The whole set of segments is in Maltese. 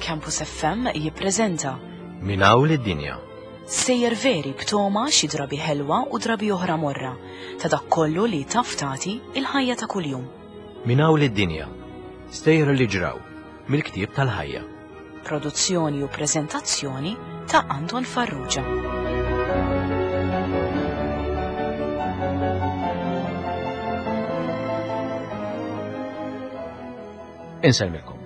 Campus FM jippreżenta Minn hawn lid-dinja. Sejjer veri b'toma xi drabi ħelwa u drabi oħra morra ta' dak kollu li taf tagħti il-ħajja ta' kuljum. Minn hawn lid-dinja. Stejjer li ġraw mill-ktieb tal-ħajja. Produzzjoni u preżentazzjoni ta' Anton Farrugia. Insellmilkom.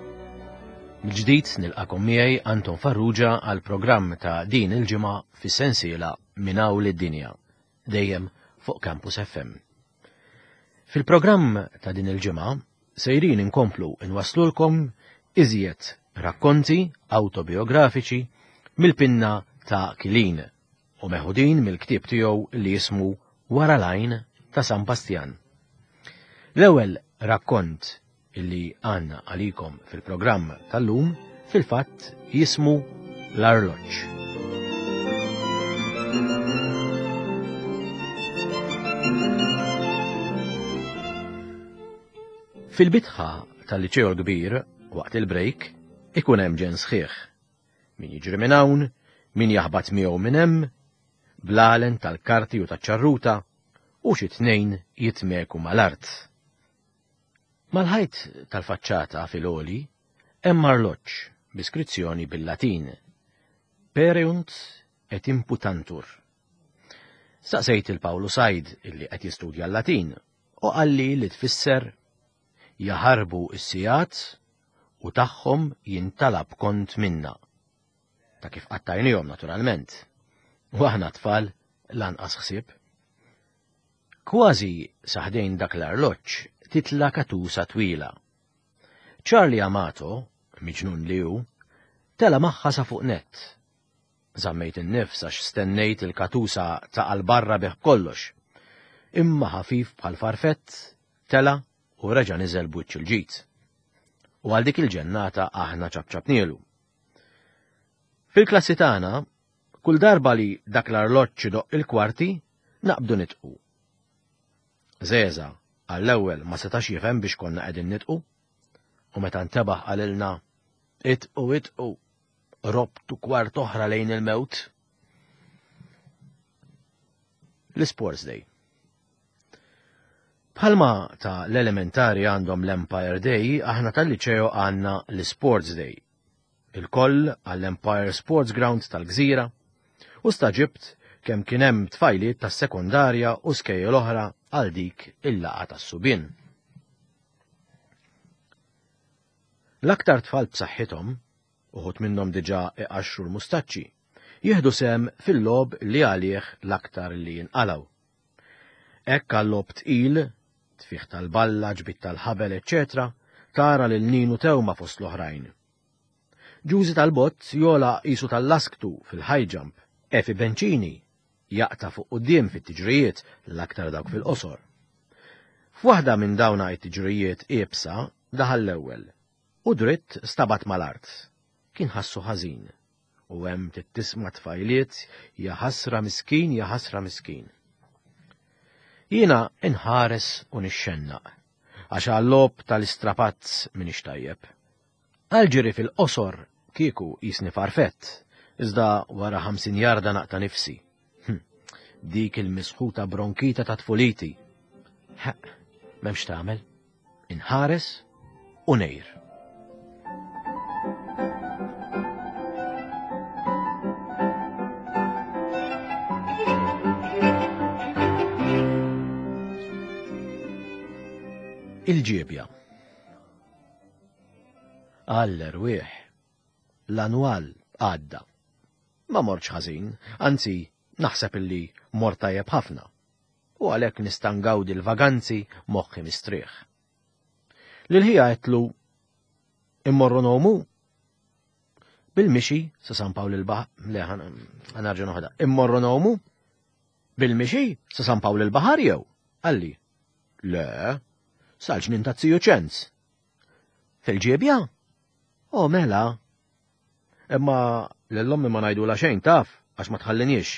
Mill-ġdid nilqakom miegħi Anton Farrugia għal programm ta' din il-ġimgħa fis-sensiela Minn hawn lid-dinja, dejjem fuq Campus FM. Fil-programm ta' din il-ġimgħa sejrin inkomplu nwaslulkom iżjed rakkonti awtobiografiċi mill-pinna ta' Kilin u meħudin mill-ktieb tiegħu li jismu Wara l-Għajn ta' San Bastjan. L-ewwel rakkont illi għandna għalikom fil-programm tal-lum fil-fatt jismu L-Arloġġ. Fil-bitħa tal-liċeo l-kbir, waqt il-break, ikun hemm ġen sħiħ. Min jiġri minn hawn, min jaħbat miegħu minn hemm, blalen tal-karti u taċ-ċarruta, u xi tnejn jitmeku mal-art. Mal-ħajt tal-faċċata fil-għoli hemm arloġġ bi skrizzjoni bil-Latin, Pereunt et imputantur. Staqsejt il Pawlu Said illi qed jistudja l-Latin u qalli li tfisser jaħarbu s-sigħat u tagħhom jintalab kont minna. Ta' kif qattajnihom naturalment. U aħna tfal lanqas ħsieb. Kważi sa ħdejn dak l-arloġġ titla' katusa twila. Charlie Amato, miġnun li hu, tela' magħha sa fuq nett. Żammejt in-nifs għax stennejt il-katusa taqa' 'l barra bih b'kollox. Imma ħafif bħal farfett, tela' u reġa' niżel b'wiċċ il-ġid. U għal dik il-ġennata aħna ċapċapnielu. Fil-klassi tagħna, kull darba li dak l-arloġġ idoqq il-kwarti, naqbdu nidħqu. Żeża għall-ewwel ma setax jifhem biex konna qegħdin nidħqu, u meta ntebaħ qalilna, Idħqu, idħqu, robtu kwart oħra lejn il-mewt. L-Sports Day. Bħalma ta' l-elementari għandhom l-Empire Day, aħna tal-liċeo għandna l-Sports Day. Ilkoll għall-Empire Sports Ground tal-Gżira u stagħġibt kemm kien hemm tfajliet tas-sekondarja u skejjel oħra għal dik il-laqgħa tas-subien. L-aktar tfal b'saħħithom, uħud minnhom diġà iqaxxru l-mustaċċi, jieħdu sehem fil-logħob li għalih l-aktar li jinqalgħu. Hekk għal-logħob tqil, tfigħ tal-balla, ġbid tal-ħabel, eċċetera, tara lil Ninu Tewma fost l-oħrajn. Ġużi tal-Bott jogħla qisu tal-lasktu fil-high jump, Efi Bencini jaqta' fuq quddiem fit-tiġrijiet, l-aktar dawk fil-qosor. F'waħda minn dawna it-tiġrijiet iebsa daħal l-ewwel u dritt stabat mal-art. Kien ħassu ħażin. U hemm tittisma' tfajliet jaħasra miskin jaħasra miskin. Jiena inħares u nixxennaq għax għal-logħob tal-istrapazz m'iniex tajjeb. Għall-ġiri fil-qosor kieku qisni farfett, iżda wara 50 jarda naqta' nifsi. Hm, dik il-misħuta bronkita ta' tfuliti. Ħeqq, m'hemmx tagħmel. Inħares u ngħir. Il-ġiebja. Għall-erwieħ, l-annwal għadda. Ma mortx ħażin, anzi naħseb illi mort tajjeb ħafna. U għalhekk nista' ngawdi l-vaganzi moħħi mistrieħ. Lil ħija għedtlu immorru nomu bil-mixi sa San Pawl il-Baħar, le ħanarġa' noħda, immorru nomu bil-mixi sa San Pawl il-Baħar jew? Qalli, le, sal-ġnien ta' Ziju Ċenz. Fil-ġiebja? O mela. Imma lil ommi ma ngħidulha xejn taf għax ma tħalliniex.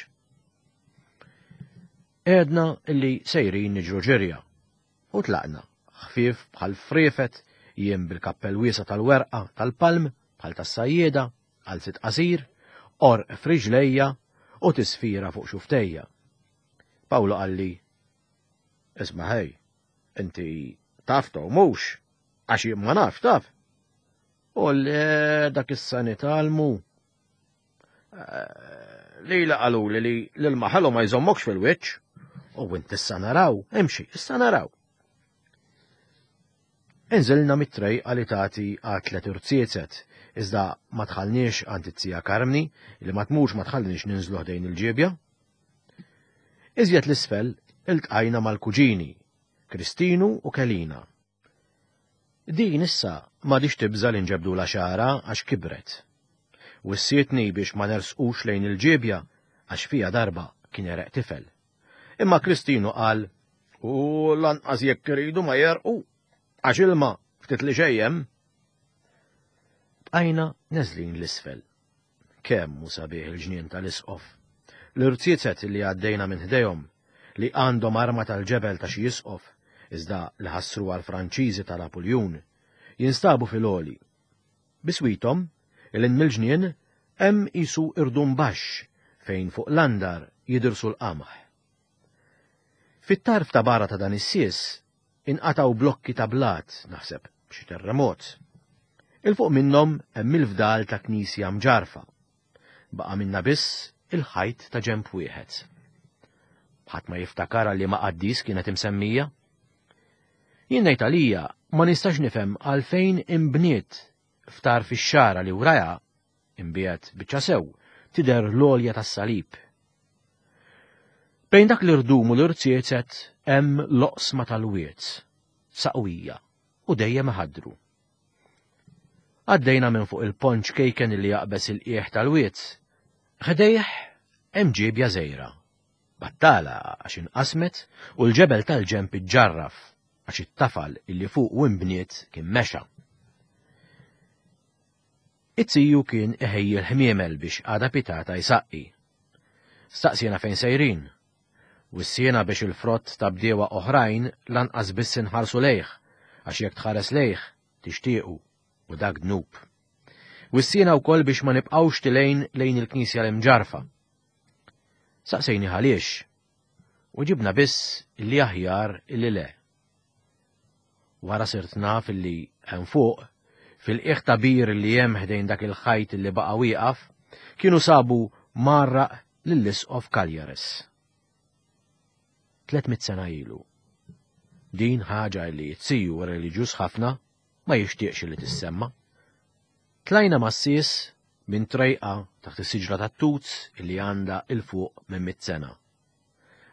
Għedna illi sejrin niġru ġirja u tlaqna, ħfief bħal friefet, jien bil-kappell wiesa' tal-werqa tal-palm. bħal tas-sajjieda, qalzit qasir, qorq f'riġlejja u tisfira fuq xuftejja. Pawlu qalli, Isma' ħej, inti taf tow mhux, għax jien ma nafx taf. U le dak issa nitgħallmu. Eh, lila qaluli li l-ilma ħelu ma jżommokx fil-wiċċ. U int issa naraw, imxi, issa naraw. Inżilna mit-trejqa li tagħti għat-tlet irziezet, iżda ma dħalniex għand it-tija Karmni li ma tmurx ma tħalliniex ninżlu ħdejn il-ġiebja. Iżjed l-isfel iltqajna mal-kuġini, Kristinu u Kelina. Din issa m'għadhiex tibża' li nġebbdulha xagħarha għax kibret. Wissietni biex ma nersqux lejn il-ġiebja għax fiha darba kien għereq tifel. Imma Kristinu qal, U lanqas jekk iridu ma jerqu, għax ilma ftit li xejn hemm. Bqajna neżlin l-isfel. Kemm hu sabiħ il-ġnien tal-isqof. L-irziezet li għaddejna minn ħdejhom, li għandhom arma tal-ġebel ta' xi isqof, iżda li ħassruha l-Franċiżi ta' Napuljun, jinstabu fil-għoli. Biswithom, 'il hinn mill-ġnien, hemm qisu irdum baxx fejn fuq l-andar jidirsu l-qamħ. Fit-tarf ta' barra ta' dan is-sies inqatgħu blokki ta' blat, naħseb b'xi terremot. Il fuq minnhom hemm il-fdal ta' knisja mġarrfa. Baqa' minnha biss il-ħajt ta' ġenb wieħed. Ħadd ma jiftakar għal liema qaddis kienet imsemmija. Jien ngħid għalija ma nistax nifhem għalfejn inbniet f'tarf ix-xagħra li wrajha, imbiegħed biċċa sew, tidher l-għolja tas-salib. Bejn dak l-irdum u l-irziezet hemm l-oqsma tal-wied, saqwija u dejjem iħaddru. Għaddejna minn fuq il-pont ċkejken li jaqbeż il-qiegħ tal-wied. Ħdejh hemm ġiebja żgħira. Battala għax inqasmet u l-ġebel tal-ġenb iġġarraf għax it-tafal illi fuqu inbniet kien mexa. It-tiju kien iħejji l-ħmiemel biex għada pitata jsaqqi. Staqsiena fejn sejrin. Wissiena biex il-frott ta' bdiewa oħrajn lanqas biss inħarsu lejh, għax jekk tħares lejh, tixtiequ, u dak dnub. Wissiena wkoll biex ma nibqgħux tilgħin lejn il-knisja l-imġarrfa. Saqsejnih għaliex, u ġibna biss illi aħjar illi le. Wara sirt naf illi hemm fuq, fil-qiegħ ta' bir li hemm ħdejn dak il-ħajt li baqa' wieqaf, kienu sabu mgħarraq lill-Isqof Cagliares. 300 sena ilu. Din ħaġa li t-siju reliġjuż ħafna ma jixtieqx li tissemma. Tlajna mas-sies minn trejqa taħt is-siġra tat-tut illi għandha 'il fuq minn mitt sena.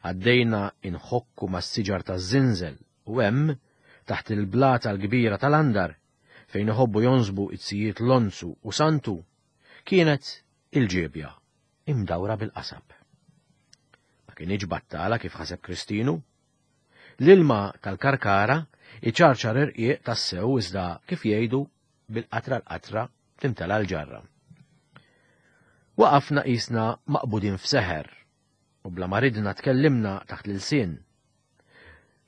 Għaddejna inħokku mas-siġar taż-żinżel u hemm, taħt il-blata l-kbira tal-andar, fejn iħobbu jonsbu it-sijiet Lonzu u Santu, kienet il-ġiebja imdawra bil-qasab. Ma kinitx battala kif ħaseb Kristinu. L-ilma tal-karkara iċarċar irqiq tassew iżda kif jgħidu bil-qatra l-qatra timtela l-ġarra. Waqafna qisna maqbudin f'seħer u bla ma ridna tkellimna taħt l-ilsien.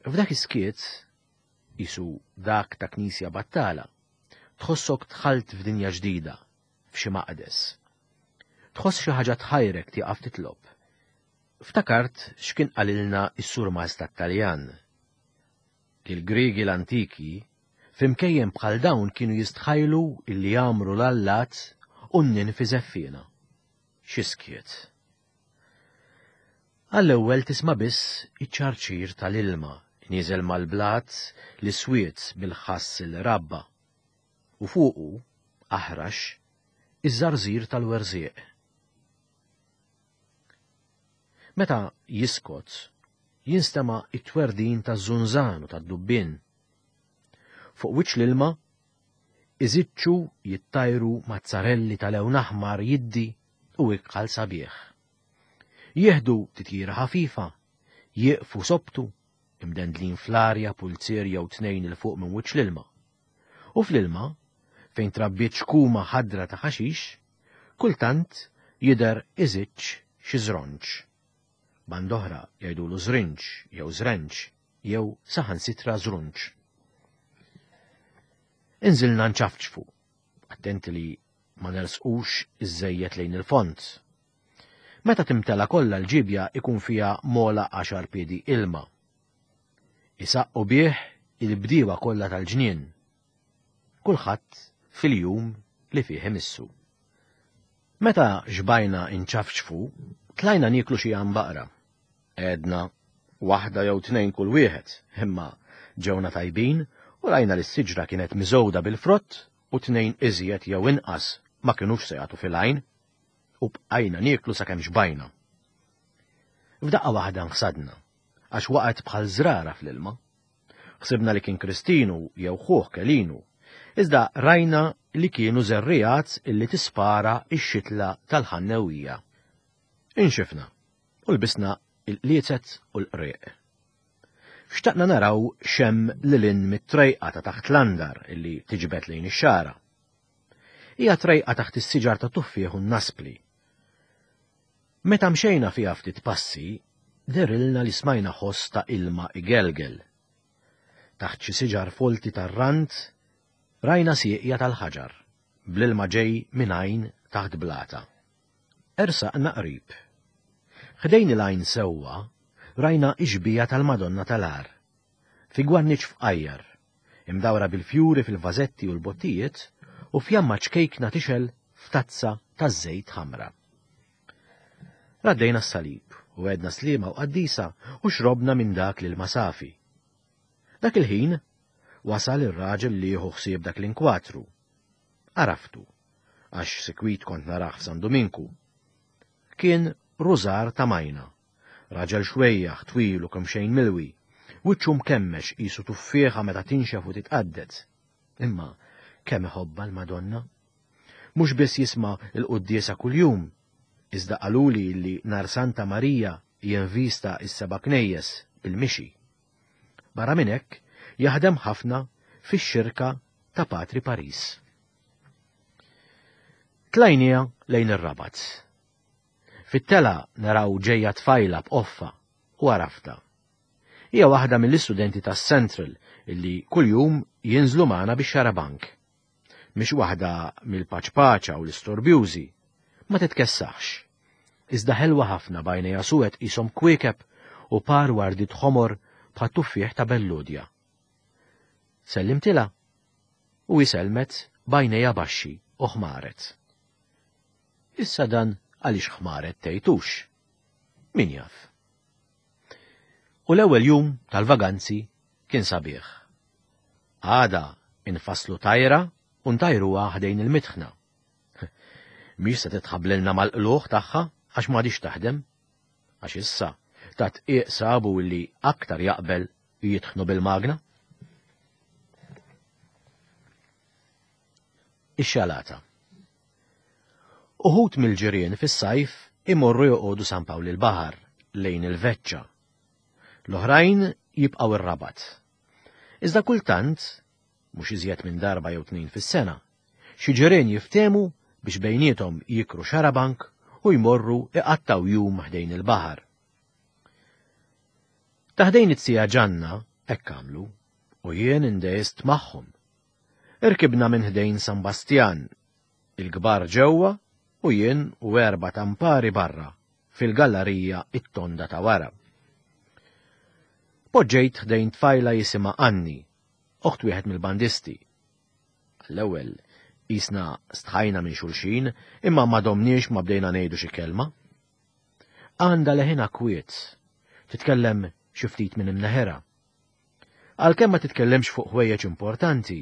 F'dak is-skiet, qisu dak ta' knisja battala, tħossok dħalt f'dinja ġdida, f'xi maqdes. Tħoss xi ħaġa tħajrek tieqaf titlob. Ftakart x'kien qalilna s-surmast tat-Taljan. Li l-Griegi l-antiki f'imkejjen bħal dawn kienu jistħajlu illi jagħmru l-allat u n-ninfi żeffiena. Xi skiet. Għall-ewwel tisma' biss iċ-ċarċir tal-ilma nieżel mal-blat li swied bil-ħass li rabba, u fuqu, aħrax, iż-żarżir tal-werżieq. Meta jiskot, jinstema' t-twerdin taż-żunżan u tad-dubbien. Fuq wiċċ l-ilma, iżiċċu jittajru mazzarelli ta' lewn aħmar jiddi u ikħal sabiħ. Jieħdu titjira ħafifa, jieqfu sobtu, imdendlin fl-arja pulzier jew tnejn 'il fuq minn wiċċ l-ilma. U fl-ilma, fejn trabbiet xkuma ħadra ta' ħaxix, kultant jidher iżiċċ xi żronġ. Band'oħra jgħidulu żrinġ jew żrenġ jew saħansitra żrunġ. Inżilna nċafċfu, attenti li ma nersqux iżżejjed lejn il-fond. Meta timtela kollha l-ġibja ikun fiha mola għaxar piedi ilma. Isaqqu bih il-bdiewa kollha tal-ġnien. Kulħadd fil-jum li fih imissu. Meta xbajna inċafċfu, tlajna nieklu xi għanbaqra. Għedna waħda jew tnejn kull wieħed, imma ġewna tajbin u rajna li s-siġra kienet miżgħuda bil-frott u tnejn iżjed jew inqas ma kinux se jagħtu fil-għajn u bqajna nieklu sakemm xbajna. F'daqqa waħda nħsadna, għax waqgħet bħal żrara fl-ilma. Ħsibna li kien Kristinu jew ħuh Kelinu, iżda rajna li kienu żerriegħat illi tispara x-xitla tal-ħannewija. Inxifna u lbisna il-qliezet u l-qrieq. Xtaqna naraw x'hemm lil hinn mit-trejqa ta' taħt l-andar illi tiġbed lejn ix-xagħra. Hija trejqa taħt is-siġar ta' tuffieħ u n-naspli. Meta mxejna fiha ftit passi, dehrilna li smajna ħoss ta' ilma igelgel. Taħt xi siġar folti tar-rand rajna sieqja tal-ħaġar, bl-ilma ġej minn għajn taħt blata. Ersaqna qrib. Ħdejn il-għajn sewwa rajna x-xbieha tal-Madonna tal-Għar, fi gwarniċ fqajjar, imdawra bil-fjuri fil-vażetti u l-bottijiet u fjamma ċkejkna tixgħel f'tazza taż-żejt ħamra. Raddejna s-salib u għedna sliema u qaddisa u xrobna minn dak l-ilma safi. Dak il-ħin wasal ir-raġel li jieħu ħsieb dak l-inkwatru. Għaraftu, għax sikwit kont narah f'San Duminku. Kien Rużar ta' Majna, raġel xwejjaħ, twil u kemxejn milwi, wiċċu mkemmex qisu tuffieħa meta tinxef u titqadded. Imma kemm iħobbha l-Madonna! Mhux biss jisma' l-quddiesa kuljum, iżda qaluli li nhar Santa Marija jinvista s-seba' knejjes bil-mixi. Barra minn hekk, jaħdem ħafna fix-xirka ta' Patri Paris. Tlajniha lejn ir-Rabat. Fit-telgħa naraw ġejja tfajla b'qoffa u għaraftha. Hija waħda mill-istudenti tas-Central illi kuljum jinżlu magħna bix-xarabank. Mhix waħda mill-paċpaċa u l-istorbjużi. Ma titkessaħx. Iżda ħelwa ħafna b'għajnejha suwed qishom kwiekeb u par wardiet ħomor bħat-tuffieħ ta' Belludja. Sellimtilha u hi sellmet b'għajnejha baxxi u ħmaret. Issa dan għaliex ħmaret tgħidux. Min jaf. U l-ewwel jum tal-vaganzi kien sabiħ. Għada infasslu tajra u ntajruha ħdejn il-mitħna. Mhix se titħabblilna mal-qlugħ tagħha għax m'għadhiex taħdem. Għax issa ta' tqiq sabu li aktar jaqbel jitħnu bil-magna. Ix-xalata. Uħud mill-ġirien fis-sajf imorru joqogħdu San Pawl il-Baħar lejn il-Veċċa. L-oħrajn jibqgħu r-Rabat. Iżda kultant, mhux iżjed minn darba jew tnejn fis-sena, xi ġirien jiftehmu biex bejniethom jikru xarabank u jmorru iqattgħu jum ħdejn il-baħar. Ta' ħdejn it-sija Ġanna hekk għamlu u jien indehist magħhom. Irkibna minn ħdejn San Bastjan, il-kbar ġewwa u jien u erba' tampari barra fil-gallarija it-tonda ta' wara. Poġġejt ħdejn tfajla jisimha Anni, oħt wieħed mill-bandisti. Għall-ewwel qisna stħajna minn xulxin imma ma domniex ma bdejna ngħidu xi kelma. Għandha leħinha kwiet, titkellem xi ftit minn imneħirha. Għalkemm ma titkellemx fuq ħwejjeġ importanti,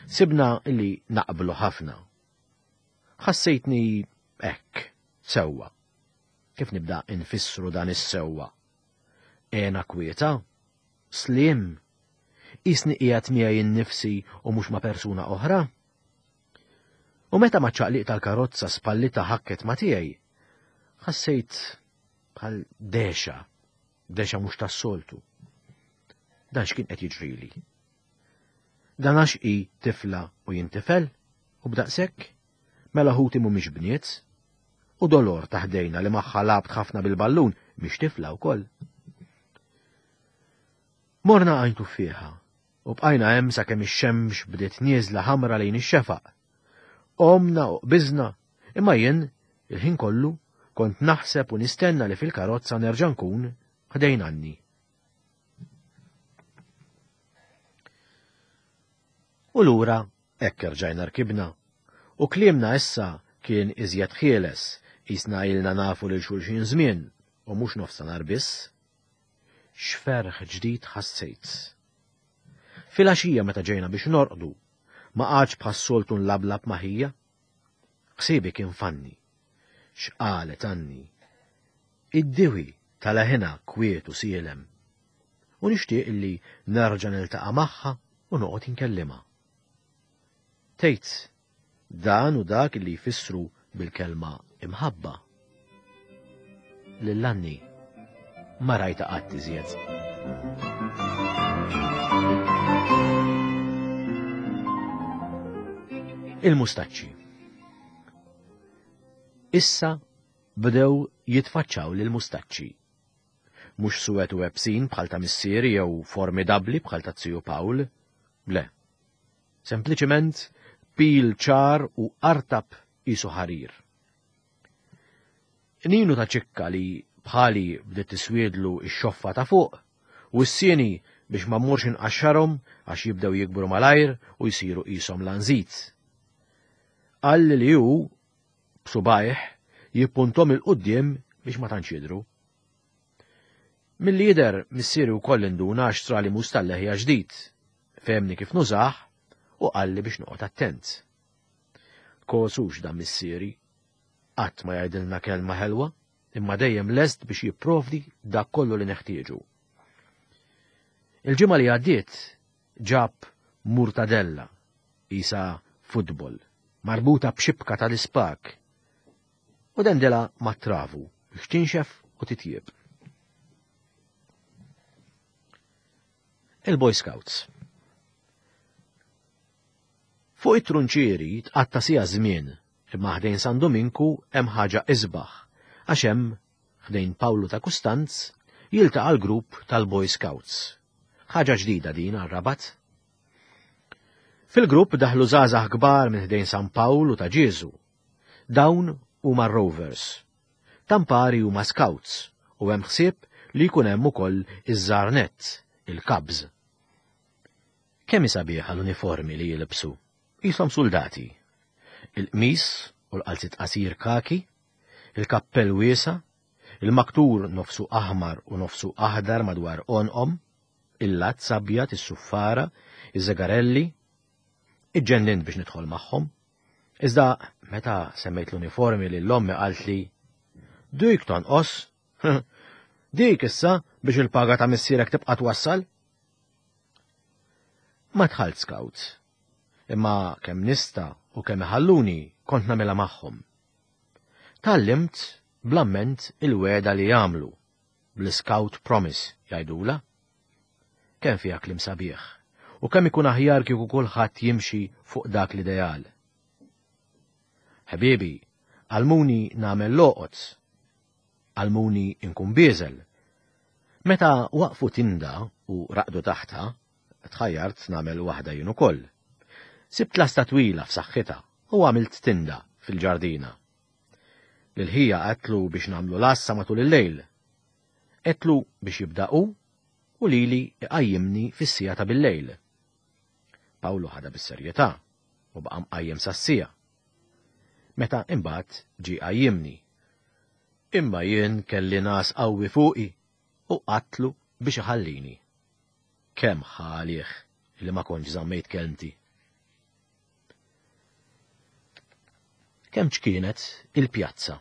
sibna li naqblu ħafna. Ħassejtni hekk, sewwa. Kif nibda infissru dan is-sewwa? Għena kwieta? Sliem? Qisni qiegħed miegħi nnifsi u mhux ma' persuna oħra? U meta maċ-ċaqliq tal-karozza spallitha ħakket ma' tiegħi, ħassejt bħal dexa, dexa mhux tas-soltu. Dan x'kien qed jiġrili? Dan għax hi tifla u jien tifel? U b'daqshekk? Mela ħuti mhumiex bniet? U Dolor ta' ħdejna li magħha lgħabt ħafna bil-ballun mhix tifla wkoll? Morna għajn tuffieħa u bqajna hemm sakemm ix-xemx bdiet nieżla ħamra lejn ix-xefaq. Qomna u qbiżna, imma jien, il-ħin kollu, kont naħseb u nistenna li fil-karozza nerġa' nkun ħdejn Anni. U lura hekk erġajna rkibna. U kliemna issa kien iżjed ħieles, qisna ilna nafu lil xulxin żmien u mhux nofstanhar biss. X'ferħ ġdid ħassejt. Filgħaxija meta ġejna biex norqdu, ma qgħadx bħas-soltu nlablab ma' ħija. Ħsiebi kien f'Anni. X'qalet Anni? Id-diwi ta' leħinha kwiet u sielem. U nixtieq illi nerġa' niltaqa' magħha u noqgħod inkellimha. Tgħid, Dan hu dak li jfissru bil-kelma imħabba. Lil Anni ma rajtha qatt iżjed. Il-mustaċċi. Issa bdew jitfaċċaw lil mustaċċi. Mhux suwed u ebsin bħal ta' missieri jew formidabbli bħal ta' ziju Pawl. Le. Sempliċement pil ċar u artab qisu ħarir. Ninu ta' ċikka li bħali bdiet tiswiedlu x-xoffa ta' fuq, wissieni biex ma mmurx inqaxxarhom għax jibdew jikbru malajr u jsiru qishom lanżit. Qalli li hu, b'subgħajh, jippunthom 'il quddiem biex ma tantx jidhru. Milli jidher missieri wkoll induna għax xtrali mus tal-leħja ġdid, fehemni kif nużah u qalli biex noqgħod attent. Kosux dan missieri, qatt ma jgħidilna kelma ħelwa, imma dejjem lest biex jipprovdi dak kollu li neħtieġu. Il-ġimgħa li għaddiet ġab murtadella qisha futbol, marbuta b'xibka tal-ispak u dendilha mat-travu biex tinxef u titjieb. Il-Boy Scouts. Fuq it-trunċieri tqatta' siegħa żmien imma ħdejn San Duminku hemm ħaġa isbaħ għax hemm ħdejn Pawlu ta' Kustanz jiltaqa' l-grupp tal-Boy Scouts. Ħaġa ġdida din għar-Rabat. Fil-grupp daħlu żgħażagħ kbar minn ħdejn San Pawl u ta' Ġieżu. Dawn huma r-Rovers. Tampari huma Scouts u hemm ħsieb li jkun hemm ukoll iż-żgħar nett, il-Cubs. Kemm hi sabiħa l-uniformi li jilbsu, qishom suldati. Il-qmis u l-qalziet qasir kaki, il-kappell wiesa', il-maktur nofsu aħmar u nofsu aħdar madwar għonqhom, il-lazz abjad, is-suffara, iż-żegarelli. Iġġennint biex nidħol magħhom. Iżda meta semmejt l-uniformi lil ommi qaltli, Dik tonqos! Dik issa biex il-paga ta' missierek tibqa' twassal! Ma dħalt scout, imma kemm nista' u kemm iħalluni kont nagħmilha magħhom. Tgħallimt bl-amment il-wegħda li jagħmlu, bl-Scout Promise jgħidulha. Kemm fiha kliem sabiħ, u kemm ikun aħjar kieku kulħadd jimxi fuq dak l-ideal. Ħbiebi, għallmuni nagħmel l-għoqod. Għallmuni nkun bieżel. Meta waqfu tinda u raqdu taħtha, tħajjart nagħmel waħda jien ukoll. Sibt lasta twila f'saħħitha u għamilt tinda fil-ġardina. Lil ħija għedtlu biex nagħmlu l-għassa matul il-lejl. Għedtlu biex jibda hu u lili iqajjimni fis-siegħa ta' bil-lejl. Pawlu ħadha bis-serjetà u baqa' mqajjem sas-siegħa. Meta imbagħad ġie qajjimni. Imma jien kelli ngħas qawwi fuqi u qatlu biex iħallini. Kemm ħa għalih li ma kontx żammejt kelmti. Kemm ċkienet il-pjazza.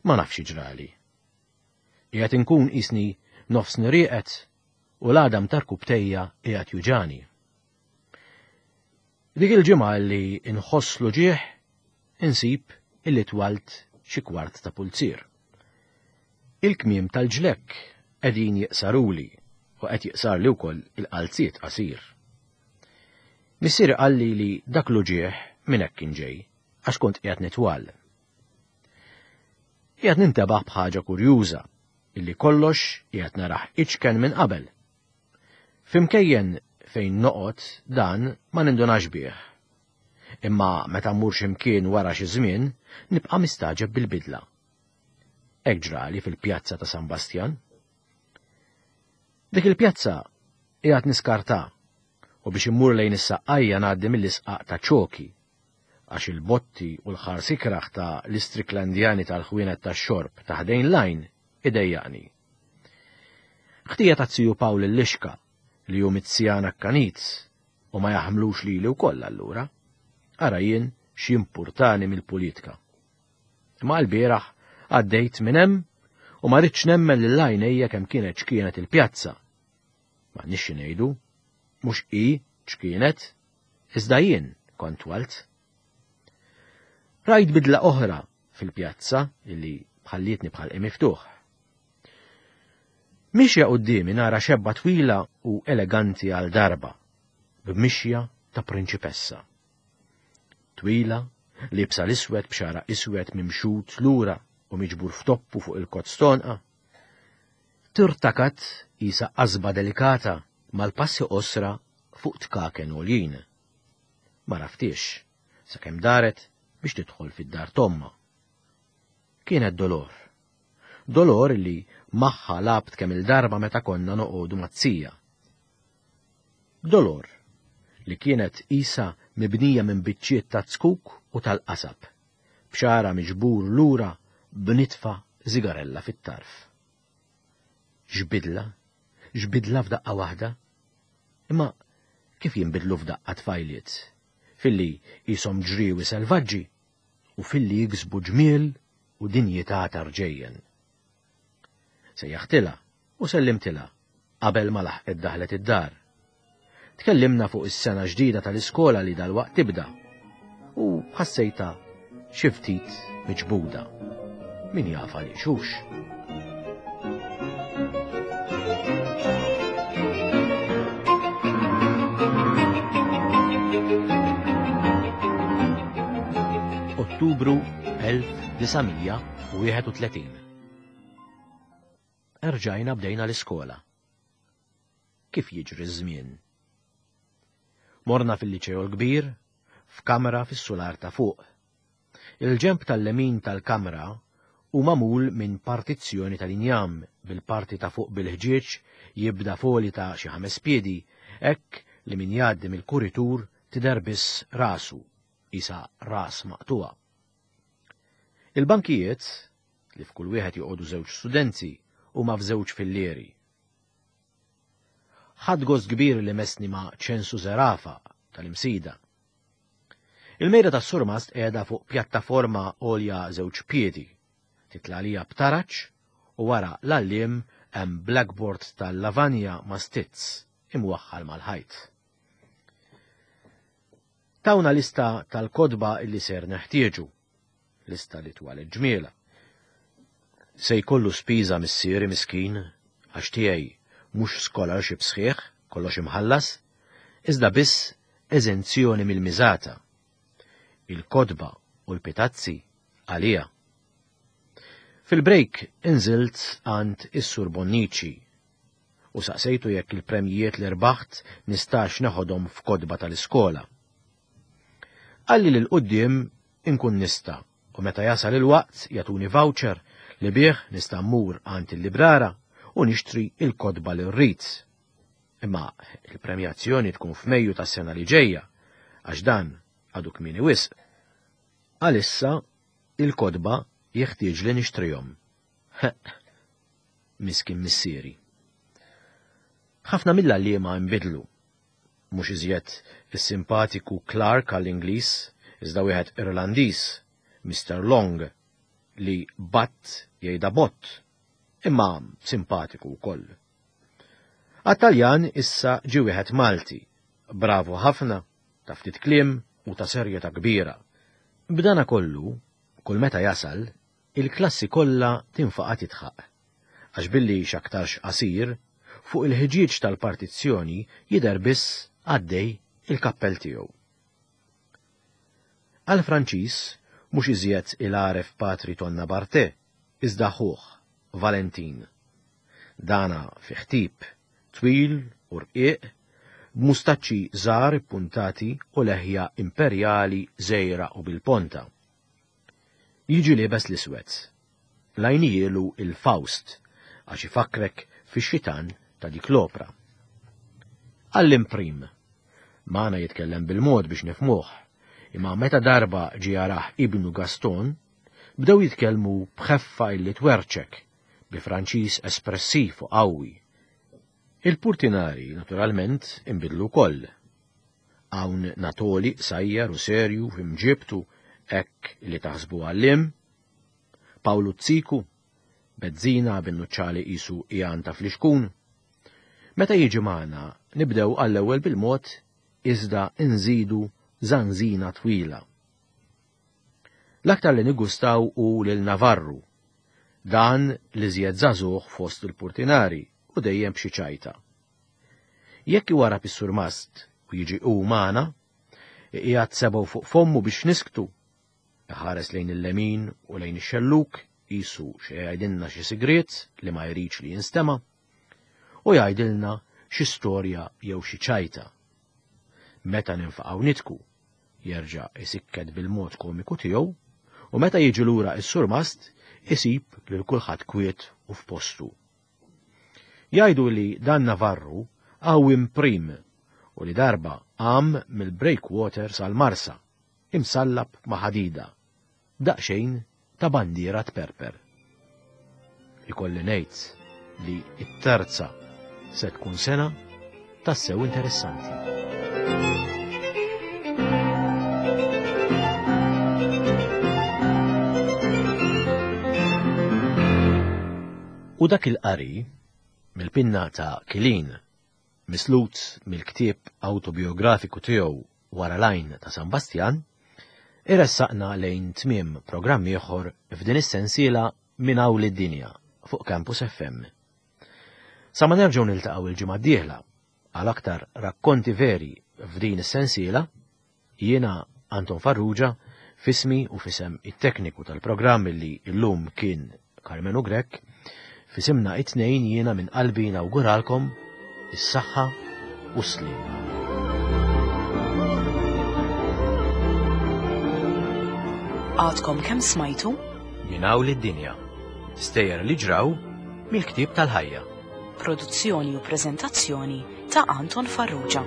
Ma nafx ġrali. Qiegħed inkun qisni nofsni rieqed u l-għadam ta' rkubtejja qiegħed juġani. Dik il-ġimgħa li nħoss l-uġigħ insib illi twalt xi kwart ta' pulzier. Il-kmiem tal-ġlekk qegħdin jiqsaruli u qed jiqsarli wkoll il-qalziet qasir. Missieri qalli li dak l-uġigħ minn hekk kien ġej, għax kont qiegħed nitwal. Qiegħed nintebaħ b'ħaġa kurjuża, illi kollox qiegħed narah iċken minn qabel. F'imkejjen fejn noqgħod dan ma nindunax bih. Imma meta mmur xi mkien wara xi żmien, nibqa' mistagħġeb bil-bidla. Hekk ġrali fil-pjazza ta' San Bastjan. Dik il-pjazza qiegħed niskartha u biex immur lejn is-Saqqajja ngħaddi mill-isqaq ta' Ċoki, għax il-botti u l-ħars ikrah ta' l-Istricklandjani tal-ħwienet tax-xorb ta' ħdejn l-għajn idejjaqni. Ħtija ta' ziju Pawl il-Lixka li hu mizzjan akkanit u ma jaħmlux lili wkoll allura. Ara jien x'jimpurtani mill-pulitka. Imma l-bieraħ għaddejt minn hemm u ma ridtx nemmen lil għajnejja kemm kienet x'kienet il-pjazza. M'għandniex xi ngħidu, mhux hi x'kienet, iżda jien kont twalt. Rajt bidla oħra fil-pjazza illi ħallietni bħalqi miftuħ. Mixja quddiemi nara xebba twila u eleganti għal darba, b'mixja ta' prinċipessa. Twila, liebsa l-iswed b'xara iswed mimxut lura u miġbur f'toppu fuq il-kozz tonqa. Tirtakat qisha qasba delikata mal-passi qosra fuq tkaken għoljin. Ma raftiex, sakemm daret biex tidħol fid-dar t'ommha. Kienet Dolor. Dolor li magħha lgħabt kemm-il darba meta konna noqogħdu mat-tija. Dolor, li kienet qisha mibnija minn biċċiet ta' zkuk u tal-qasab, b'xagħarha miġbur lura b'nitfa żigarella fit-tarf. X'bidla, x'bidla f'daqqa waħda! Imma kif jinbidlu f'daqqa tfajliet, filli qishom ġriewi selvaġġi u filli jiksbu ġmiel u dinjità ta' rġejjen. Sejjaħtilha u sellimtilha qabel ma laħqet daħlet id-dar. Tkellimna fuq is-sena ġdida tal-iskola li dalwaqt tibda u ħassejtha xi ftit miġbuda. Min jaf għaliex hux. Ottubru 1931. Erġajna bdejna l-iskola. Kif jiġri ż-żmien? Morna fil-Liċeo l-Kbir, f'kamra fis-sular ta' fuq. Il-ġenb tal-lemin tal-kamra hu magħmul minn partizzjoni tal-injam bil-parti ta' fuq bil-ħġieġ jibda f'għoli ta' xi ħames piedi hekk li min jgħaddi mill-kuritur tidher biss rasu, qisha ras maqtugħa. Il-bankijiet, li f'kull wieħed joqogħdu żewġ studenti, huma f'żewġ fillieri. Ħadt gost kbir li messni ma' Ċensu Zerafa tal-Imsida. Il-mejda tas-surmast qiegħda fuq pjattaforma għolja żewġ piedi, titla' għalija b'taraġ u wara l-għalliem hemm blackboard tal-lavanja ma' stizz imwaħħal mal-ħajt. Tawna lista tal-kotba illi ser neħtieġu. Lista li twalet ġmiela. Se jkollu spiża missieri miskin għax tiegħi mhux scholarship sħiħ, kollox imħallas, iżda biss eżenzjoni mill-miżata. Il-kotba u l-pitazzi għalija. Fil-break inżilt għand is-Sur Bonnici u saqsejtu jekk il-premjijiet li rbaħt nistax neħodhom f'kotba tal-iskola. Qalli li 'l quddiem inkun nista' u meta jasal il-waqt jagħtuni voucher li bih nista' mmur għand il-librara u nixtri l-kotba li rrid. Imma il-premjazzjoni tkun f'Mejju tas-sena li ġejja għax dan għadu kmieni wisq. Għalissa il-kotba jeħtieġli nixtrihom. Ħeqq. Miskin missieri. Ħafna mill-għalliema nbidlu. Mhux iżjed is-simpatiku Clark għall-Ingliż, iżda wieħed Irlandiż, Mister Long, li batt jgħidha bott, imma simpatiku wkoll. Għat-Taljan issa ġie wieħed Malti, bravu ħafna, ta' ftit kliem u ta' serjetà kbira. B'dana kollu, kull meta jasal, il-klassi kollha tinfaqa' tidħaq. Għax billi x'aktarx qasir, fuq il-ħġieġ tal-partizzjoni jidher biss għaddej il-kappell tiegħu. Għall-Franċiż mhux iżjed il-għaref Patri Tonna Barthe, iżda ħuh, Valentin. Dana fih tip, twil u rqiq, b'mustaċċi żgħar ippuntati u leħja imperjali żgħira u bil-ponta. Jiġi liebes l-iswed. Lajnijielu il-Faust għax ifakkrek fix-xitan ta' dik l-opra. Għallim prim. Magħna jitkellem bil-mod biex nifhmuh, imma meta darba ġie jarah ibnu Gaston, bdew jitkellmu b'ħeffa illi twerċek, bi Franċiż espressiv u qawwi. Il-purtinari, naturalment, inbidlu wkoll. Hawn Natoli qsajjar u serju f'imġiebtu hekk li taħsbu għalliem, Pawlu Ziku, bezzina bin-nuċċali qisu qiegħan ta' flixkun. Meta jiġi magħna nibdew għall-ewwel bil-mod iżda nżidu żanżina twila. L-aktar li niggustaw hu lil Navarru, dan l-iżjed żagħżugħ fost il-purtinari u dejjem b'xi ċajta. Jekk iwarrab is-surmast u jiġi hu magħna, iqiegħed sebgħu fuq fommu biex nisktu, iħares lejn il-lemin u lejn ix-xellug qisu xi jgħidilna xi sigriet li ma jridx li jinstema', u jgħidilna xi storja jew xi ċajta. Meta ninfaqgħu nidku, jerġa' isikket bil-mod komiku tiegħu, u meta jiġi lura s-surmast isib lil kulħadd kwiet u f'postu. Jgħidu li dan Navarru qawwiem prim u li darba qam mill-breakwater sal-Marsa, imsallab ma' ħadida, b'daqsxejn ta' bandiera tperper. Ikolli ngħid li t-terza se tkun sena tassew interessanti. U dak il-qari mill-pinna ta' Kilin, mislut mill-ktieb awtobiografiku tiegħu Wara l-Għajn ta' San Bastjan, iressaqna lejn tmiem programm ieħor f'din is-sensiela Minn Hawn lid-Dinja fuq Campus FM. Sa ma nerġgħu niltaqgħu il-ġimgħa d-dieħla għal aktar rakkonti veri f'din is-sensiela, jiena Anton Farrugia fismi u fisem it-tekniku tal-programm li llum kien Karmenu Grech, fisimna it-tnejn jiena minn qalbi nawguralkom is-saħħa u s-sliem. Għadkom kemm smajtu? Minn hawn lid-dinja. Stejjer li ġraw mill-ktieb tal-ħajja. Produzzjoni u preżentazzjoni ta' Anton Farrugia.